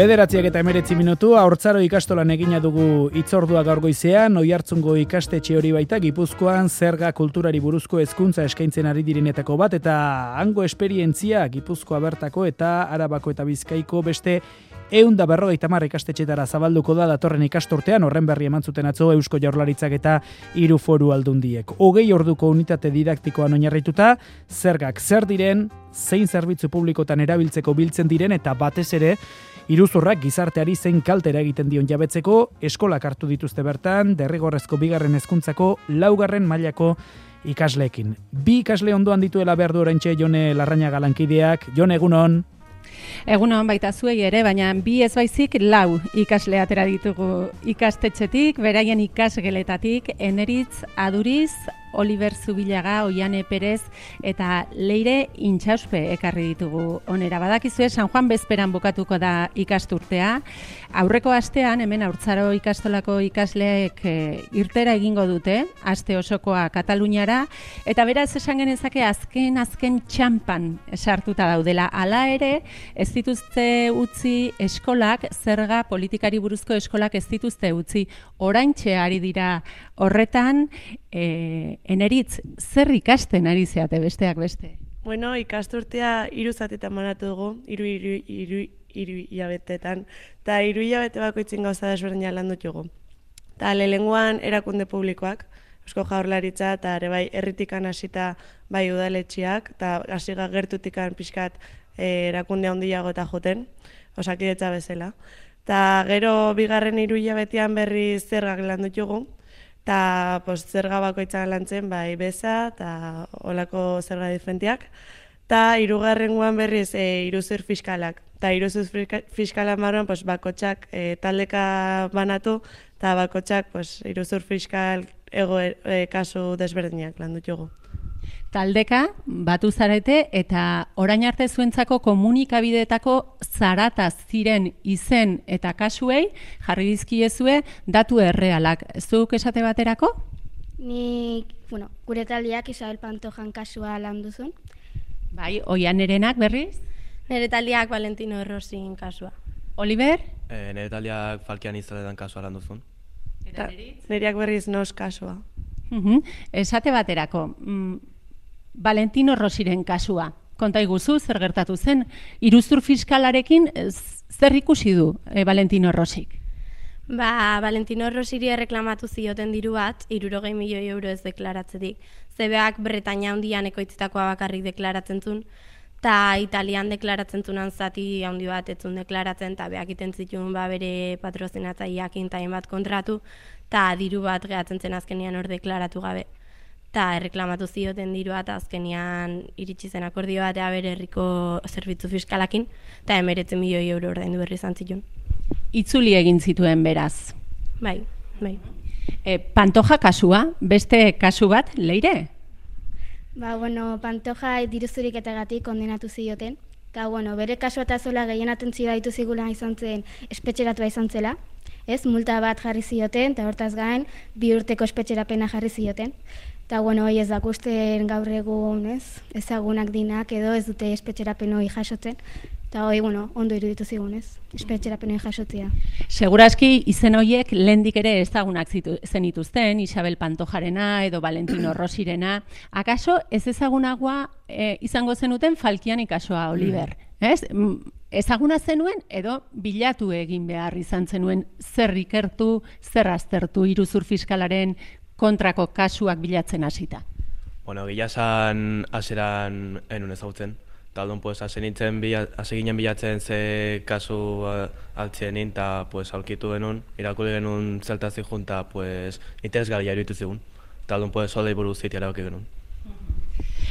9:19 Haurtzaro ikastolan egina dugu hitzordua gaur goizean, Oiartzungo ikastetxe hori baita Gipuzkoan zerga kulturari buruzko hezkuntza eskaintzen ari direnetako bat, eta hango esperientzia Gipuzkoa bertako eta Arabako eta Bizkaiko beste 150 ikastetxetara zabalduko da datorren ikasturtean. Horren berri eman zuten atzo Eusko Jaurlaritzak eta 3 foru aldundiek. 20 orduko unitate didaktikoan oinarrituta, zergak zer diren, zein zerbitzu publikotan erabiltzeko biltzen diren, eta batez ere iruzurrak gizarteari zein kaltera egiten dion jabetzeko eskolak hartu dituzte bertan, derrigorrezko 2. hezkuntzako 4. mailako ikasleekin. 2 ikasle ondoan dituela behar du oraintxe Jone Larrañaga lankideak. Jone, egunon. Egunon baita zuei ere, baina 2 ez baizik 4 ikasle atera ditugu ikastetxetik, beraien ikasgeletatik, Eneritz Aduriz, Oliver Zubilaga, Oiane Perez eta Leire Intxauspe ekarri ditugu onera. Badakizue, San Juan bezperan bukatuko da ikasturtea. Aurreko astean, hemen Haurtzaro ikastolako ikasleek irtera egingo dute, aste osokoa Kataluniara, eta beraz esan genezake azken txampan sartuta daudela. Hala ere, ez dituzte utzi eskolak, zerga politikari buruzko eskolak ez dituzte utzi. Oraintxe ari dira horretan, Eneritz, zer ikasten ari zeate besteak beste? Bueno, ikasturtea 3 zatetan banatu dugu, 3 hilabetetan, eta 3 hilabete bakoitzin gauza desberdina landu dugu. Eta lehenengoan erakunde publikoak, Eusko Jaurlaritza eta ere bai herritikan hasita bai udaletxeak, eta hasiga gertutikan pixkat erakunde handiago eta joten, Osakidetza bezala. Eta gero 2. 3 hilabetean berri zergak landu dugu, eta zerga bakoitzan lantzen bai beza eta olako zerga diferentiak. Eta 3. berriz iruzur fiskalak. Eta iruzur fiskalak marroan bakotxak taldeka banatu, eta bakotxak iruzur fiskal kasu desberdinak landu dugu. Taldeka batu zarete eta orain arte zuentzako komunikabideetako zarata ziren izen eta kasuei jarri dizkiezue datu errealak. Zuk esate baterako? Gure taldeak Isabel Pantojan kasua landu zuen. Bai, Oianerenak berriz? Nere taldeak Valentino Rosin kasua. Oliver? Nere taldeak Falkian Izaletan kasua landu zuen. Eta Neritz? Nereak berriz Nos kasua. Esate baterako, Valentino Rosiren kasua. Konta iguzu, zer gertatu zen? Iruzur fiskalarekin zer ikusi du Valentino Rosik? Valentino Rosiri erreklamatu zioten diru bat, 60 milioi euro ez deklaratzetik. Zebeak Bretaña handian ekoitzitakoa bakarrik deklaratzen zuen, eta Italian deklaratzen zunan zati handi bat etzun deklaratzen, eta beak iten zituen bere patrozinatzaileakin eta bat kontratu, eta diru bat gehatzen zen azkenian hor deklaratu gabe. Eta erreklamatu zioten dirua eta azkenian iritsi zen akordio batea bere herriko zerbitzu fiskalakin, eta 19 milioi euro ordaindu berri izan zituen. Itzuli egin zituen beraz. Bai. Pantoja kasua, beste kasu bat, Leire? Pantoja diruzuriketagatik kondenatu zioten. Eta, bere kasua eta zola gehienaten zidaitu zigula izan zen, espetxeratua izan zela. Multa bat jarri zioten, eta hortaz gain, 2 urteko espetxerapena jarri zioten. Eta, hoi ez dakusten gaur egun, ezagunak dinak edo ez dute espetxerapen hori jasotzen. Eta, ondo iruditu zigun, espetxerapen hori jasotzea. Seguraski izen horiek lehendik ere ezagunak zenituzten, Isabel Pantojarena edo Valentino Rosirena. Akaso ez ezagunagoa izango zenuten Falkiani kasua, Oliver? Ezaguna zenuen edo bilatu egin behar izan zenuen zer ikertu, zer aztertu iruzur fiskalaren kontrako kasuak bilatzen hasita? Gila esan aseran enun ezagutzen. Taldun, hasi ginen bilatzen ze kasu altzienin, eta aurkitu genuen, irakurri genuen zeltazik junta, interesgarria iruditu zigun. Taldun, solei buruz zitea erabaki genuen.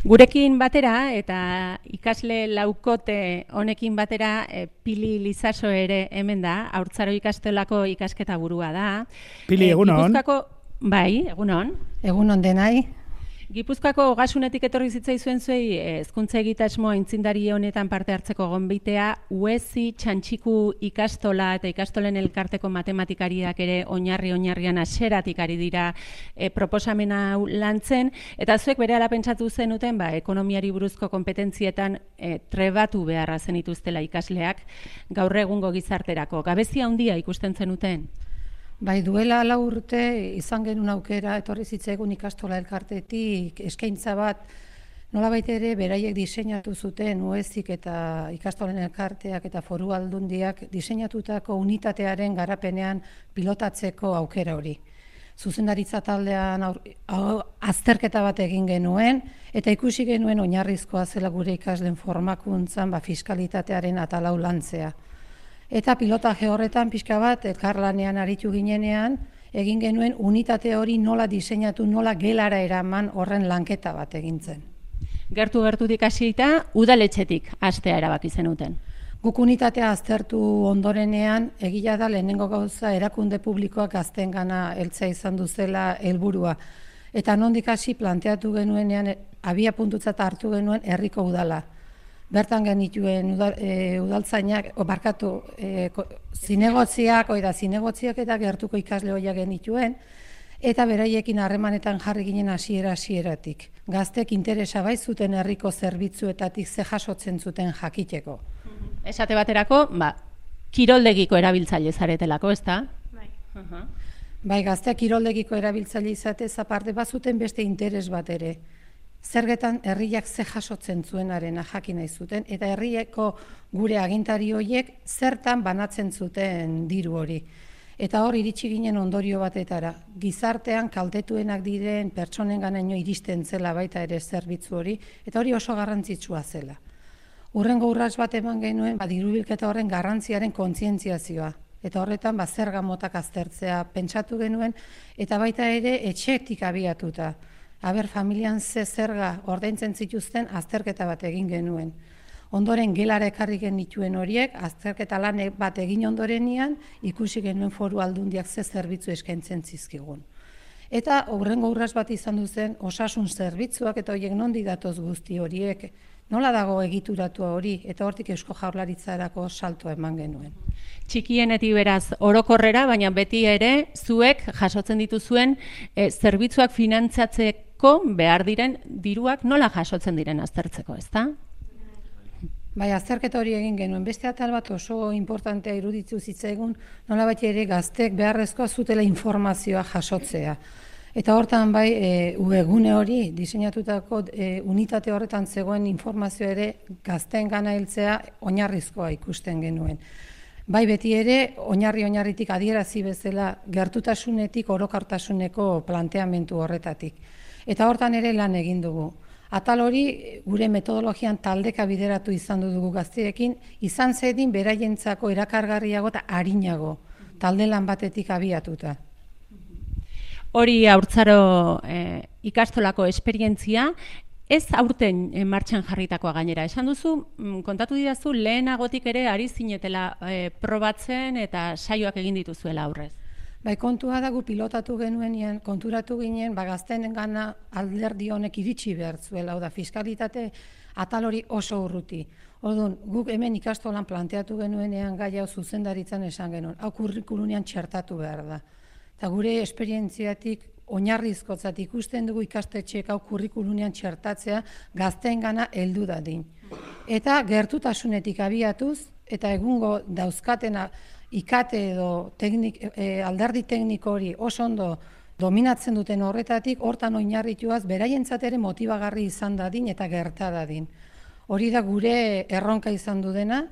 Gurekin batera, eta ikasle laukote honekin batera, Pili Lizaso ere hemen da, Haurtzaro ikastolako ikasketa burua da. Pili, egunon. Bai, egunon. Egunon denai. Gipuzkoako Ogasunetik etorri zitzaizuen zuei hezkuntza egitasmo aintzindari honetan parte hartzeko gonbitea, UESI Txantxiku ikastola eta ikastolen elkarteko matematikariak ere oinarrian hasieratik ari dira proposamena hau lantzen, eta zuek berehala pentsatu zenuten ekonomiari buruzko konpetentzietan trebatu beharra zenituztela ikasleak gaur egungo gizarterako. Gabezia handia ikusten zenuten? Bai, duela 4 urte izan genuen aukera, etorri zitzaigun ikastola elkartetik eskaintza bat, nolabait ere beraiek diseinatu zuten UESIk eta ikastolen elkarteak eta foru aldundiak diseinatutako unitatearen garapenean pilotatzeko aukera hori. Zuzendaritza taldean azterketa bat egin genuen, eta ikusi genuen oinarrizkoa zela gure ikasleen formakuntzan fiskalitatearen atalau lantzea. Eta pilotaje horretan pixka bat elkarlanean aritu ginenean, egin genuen unitate hori nola diseinatu, nola gelara eraman horren lanketa bat egintzen. Gertutik hasita, udaletxetik hastea erabaki zenuten. Guk unitatea aztertu ondorenean, egia da lehenengo gauza erakunde publikoak gazteengana heltzea izan duzela helburua. Eta nondik hasi planteatu genuenean, abia puntutzat hartu genuen herriko udala. Bertan genituen udaltzainak, zinegotziak eta gertuko ikasle hoiak genituen, eta beraiekin harremanetan jarri ginen hasieratik. Gaztek interesa bai zuten herriko zerbitzuetatik ze jasotzen zuten jakiteko. Esate baterako, kiroldegiko erabiltzaile zaretelako, ezta? Bai. Bai, gazteak kiroldegiko erabiltzaile izatez aparte bazuten beste interes bat ere. Zergetan herriak ze jasotzen zuenarena jakin nahi zuten, eta herrieko gure agintari horiek zertan banatzen zuten diru hori. Eta hor iritsi ginen ondorio batetara. Gizartean kaltetuenak diren pertsonenganaino iristen zela baita ere zerbitzu hori, eta hori oso garrantzitsua zela. Hurrengo urrats bat eman genuen dirubilketa horren garrantziaren kontzientziazioa. Eta horretan zerga motak aztertzea pentsatu genuen, eta baita ere etxetik abiatuta. Familian ze zerga ordaintzen zituzten azterketa bat egin genuen. Ondoren gelara ekarri genituen horiek, azterketa lan bat egin ondorenean, ikusi genuen foru aldundiak ze zerbitzu eskaintzen zizkigun. Eta hurrengo urrats bat izan duzen osasun zerbitzuak eta horiek nondi datoz guzti horiek, nola dago egituratua hori, eta hortik Eusko Jaurlaritzarako saltoa eman genuen. Txikienetik beraz orokorrera, baina beti ere zuek jasotzen dituzuen zerbitzuak finantzatzeko behar diren diruak nola jasotzen diren aztertzeko, ezta? Bai, azterketa hori egin genuen. Beste atal bat oso importantea iruditzu zitzaigun, nolabait ere gaztek beharrezkoa zutela informazioa jasotzea. Eta hortan webgune hori diseinatutako unitate horretan zegoen informazio ere gazteengana heltzea oinarrizkoa ikusten genuen. Bai beti ere oinarritik adierazi bezala gertutasunetik orokartasuneko planteamendu horretatik. Eta hortan ere lan egin dugu. Atal hori gure metodologian taldeka bideratu izan dugu gazteekin, izan zedin beraientzako erakargarriago eta arinago, talde lan batetik abiatuta. Hori haurtzaro ikastolako esperientzia, ez aurten martxan jarritakoa gainera. Esan duzu, kontatu didazu, lehenagotik ere ari zinetela probatzen eta saioak egin dituzuela aurrez. Bai, kontua dago pilotatu genuenean, konturatu ginen, gazteengana alderdi honek iritsi behar zuela, da fiskalitate atal hori oso urruti. Orduan, guk hemen ikastolan planteatu genuenean gai hau zuzendaritzan esan genuen, hau kurrikulunean txertatu behar da. Eta gure esperientziatik oinarrizkotzat ikusten dugu ikastetxeek hau kurrikulunean txertatzea gazteengana heldu dadin. Eta gertutasunetik abiatuz, eta egungo dauzkatena ikate edo alderdi tekniko hori oso ondo dominatzen duten horretatik, hortan oinarrituaz beraientzat ere motibagarri izan dadin eta gerta dadin. Hori da gure erronka izan du dena,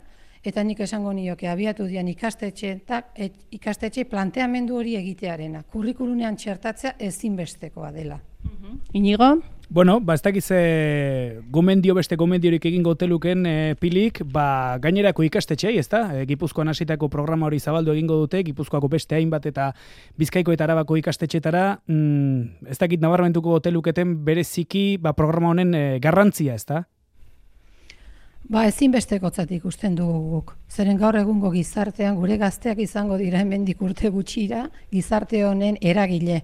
eta nik esango nioke abiatu dian ikastetxe planteamendu hori egitearena. Kurrikulunean txertatzea ezinbestekoa dela. Inigo? Bueno, ez dakiz beste gomendiorik egingo teluken pilik, gainerako ikastetxeai, ezta? Gipuzkoan hasitako programa hori zabaldu egingo dute, Gipuzkoako beste hainbat eta Bizkaiko eta Arabako ikastetxetara, ez dakit nabarmentuko teluketen bereziki programa honen garrantzia, ezta? Ezinbestekotzat ikusten dugu guk. Zeren gaur egungo gizartean gure gazteak izango dira hemendik urte gutxira gizarte honen eragile.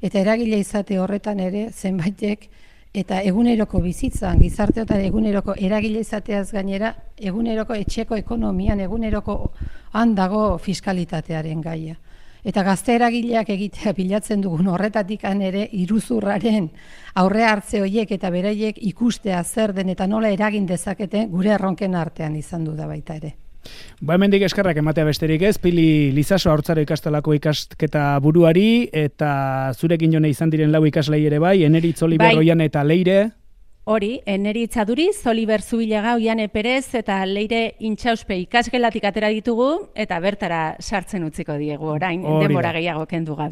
Eta eragile izate horretan ere zenbaitek eta eguneroko bizitzan, gizarteotan eguneroko eragile izateaz gainera, eguneroko etxeko ekonomian, eguneroko handago fiskalitatearen gaia. Eta gazte eragileak egitea bilatzen dugun horretatik ere iruzurraren aurre hartze horiek eta beraiek ikustea zer den eta nola eragin dezakete gure erronken artean izan du da baita ere. Hemendik eskerrak ematea besterik ez, Pili Lizaso Haurtzaro ikastolako ikasketa buruari, eta zurekin jone izan diren 4 ikaslei ere bai, Eneritz, Oliver, Oiane eta Leire. Hori, Eneritz Aduriz, Oliver Zubilaga, Oiane Perez eta Leire Intxauspe ikasgelatik atera ditugu, eta bertara sartzen utziko diegu orain, denbora gehiago kendu gabe.